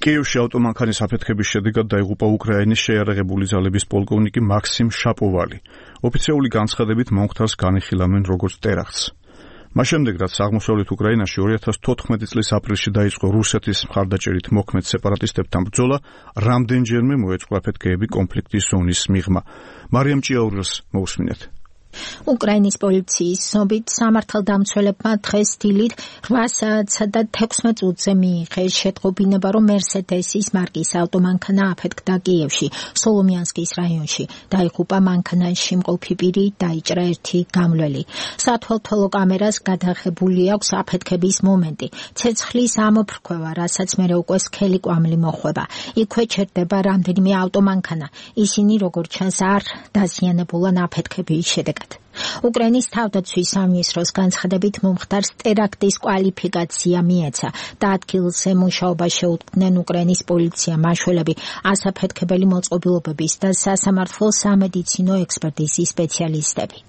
კიევში ავტომანქანის აფეთქების შედეგად დაიღუპა უკრაინის შეიარაღებული ძალების პოლკოვნიკი მაქსიმ შაპოვალი. ოფიციალური განცხადებით მომხდარს განიხილავენ როგორც ტერაქტს. მას შემდეგ, რაც აღმოსავლეთ უკრაინაში 2014 წლის აპრილში დაიწყო რუსეთის მხარდაჭერით მოქმედ სეპარატისტებთან ბრძოლა, რამდენჯერმე მოეწყო აფეთქეები კონფლიქტის ზონის მიღმა. მარიამ ჭიაურელს მოусმინეთ. უკრაინის პოლიციის ცნობით სამართალდამცველებმა დღეს დილით 8:16 წუთზე მიიღეს შეტყობინება, რომ მერსედესის მარკის ავტომანქანა აფეთქდა კიევში, სოლომიანსკის რაიონში. დაიღუპა მანქანაში მყოფი პირი, დაიჭრა ერთი გამლველი. სათვალთვალო კამერას გადაღებული აქვს აფეთქების მომენტი. ცეცხლის ამოფრქვევა, რასაც მერე უკვე სქელი კვამლი მოხვება. იქვე ჩერდება რამდენიმე ავტომანქანა. ისინი როგორც ჩანს არ დაზიანებულან აფეთქების შედეგად. უკრაინის თავდაცვის სამინისტროს განცხადებით მომხდარს ტერაქტის კვალიფიკაცია მიეცა და ადგილზე მუშაობა შეუდგნენ უკრაინის პოლიცია, მაშველები, ასაფეთქებელი მოწყობილობების და სასამართლო სამედიცინო ექსპერტიზის სპეციალისტები.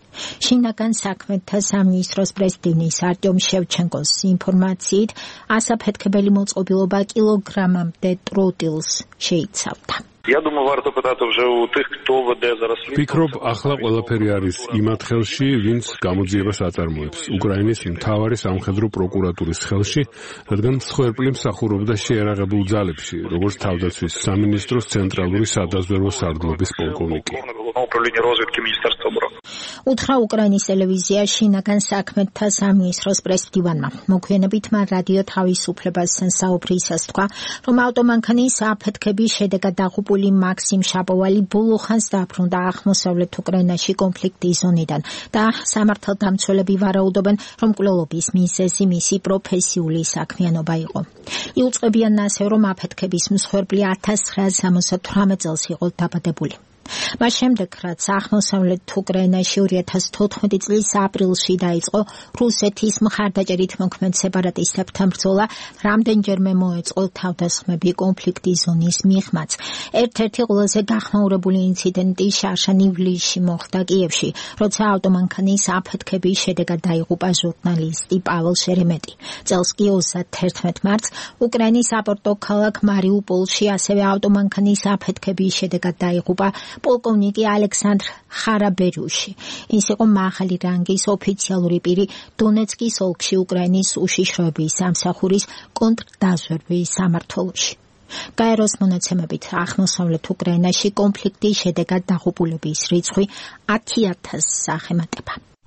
შინაგან საქმეთა სამინისტროს პრეზიდენტის არტიომ შევჩენკოს ინფორმაციით, ასაფეთქებელი მოწყობილობა კილოგრამამდე ტროტილს შეიცავდა. Я думаю, варто питати вже у тих, хто веде зараз слідство. Ვფიქრობ, ახლა ყველაფერი არის იმათ ხელში, ვინც გამოძიებას აწარმოებს. უკრაინის მთავარი სამხედრო პროკურატურის ხელში, რადგან მსხვერპლი მსახურობდა შეიარაღებულ ძალებში, როგორც თავდაცვის სამინისტროს ცენტრალური სადაზვერვო სარდლობის პოლკოვნიკი. უთხრა უკრაინის ტელევიზია შინაგან საქმეთა სამინისტროს პრესდივანმა. მოგვიანებით მან რადიო თავისუფლებასთან საუბრისას თქვა, რომ ავტომანქანის აფეთქების შედეგად დაღუპული მაქსიმ შაპოვალი ბოლო ხანს დაბრუნდა აღმოსავლეთ უკრაინაში კონფლიქტის ზონიდან და სამართალდამცველები ვარაუდობენ, რომ მკვლელობის მიზეზი მისი პროფესიული საქმიანობა იყო. იუწყებიან ასევე, რომ აფეთქების მსხვერპლი 1978 წელს იყო დაბადებული. მას შემდეგ, რაც აღმოსავლეთ უკრაინაში 2014 წლის აპრილში დაიწყო რუსეთის მხარდაჭერით მოქმედ სეპარატისტებთან ბრძოლა, რამდენჯერმე მოეწყო თავდასხმები კონფლიქტის ზონის მიღმაც. ერთ-ერთი ყველაზე გახმაურებული ინციდენტი შარშან ივლისში მოხდა კიევში, როცა ავტომანქანის აფეთქების შედეგად დაიღუპა ჟურნალისტი პაվել შერემეტი. წელს კი 31 მარტს უკრაინის საპორტო ქალაქ მარიუპოლში ასევე ავტომანქანის აფეთქების შედეგად დაიღუპა პოლკოვნიკი ალექსანდრ ხარაბერიუში. ის იყო მაღალი რანგის ოფიციალური პირი დონეცკის ოლქში უკრაინის უშიშროების სამსახურის კონტრდაზვერვის სამმართველოში. გაეროს მონაცემებით აღმოსავლეთ უკრაინაში კონფლიქტის შედეგად დაღუპულების რიცხვი 10,000-ს აღემატება.